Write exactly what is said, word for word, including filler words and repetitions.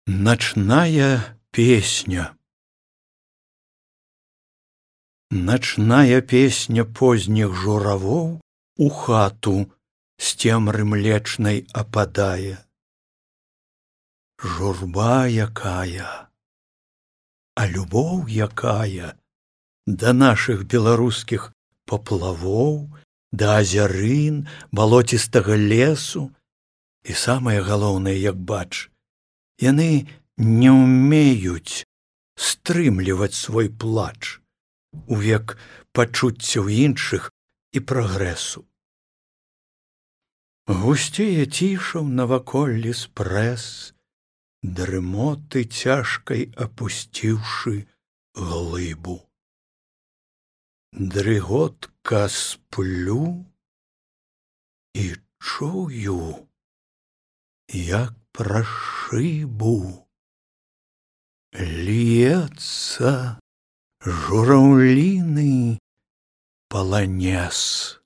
Ночная песня. Ночная песня поздних журавоў у хату з цемры млечнай ападае. Журба якая, а любоў якая да нашых беларускіх паплавоў, да азярын, балоцістага лесу. І самае галоўнае, як бач, яны не ўмеюць стрымліваць свой плач у век пачуццяў іншых і прагрэсу. Гусцее цішаў наваколлі спрэс, дрымоты цяжкай апусціўшы глыбу. Дрыготка сплю і чую, як праз шыбу льецца жураўліны паланез.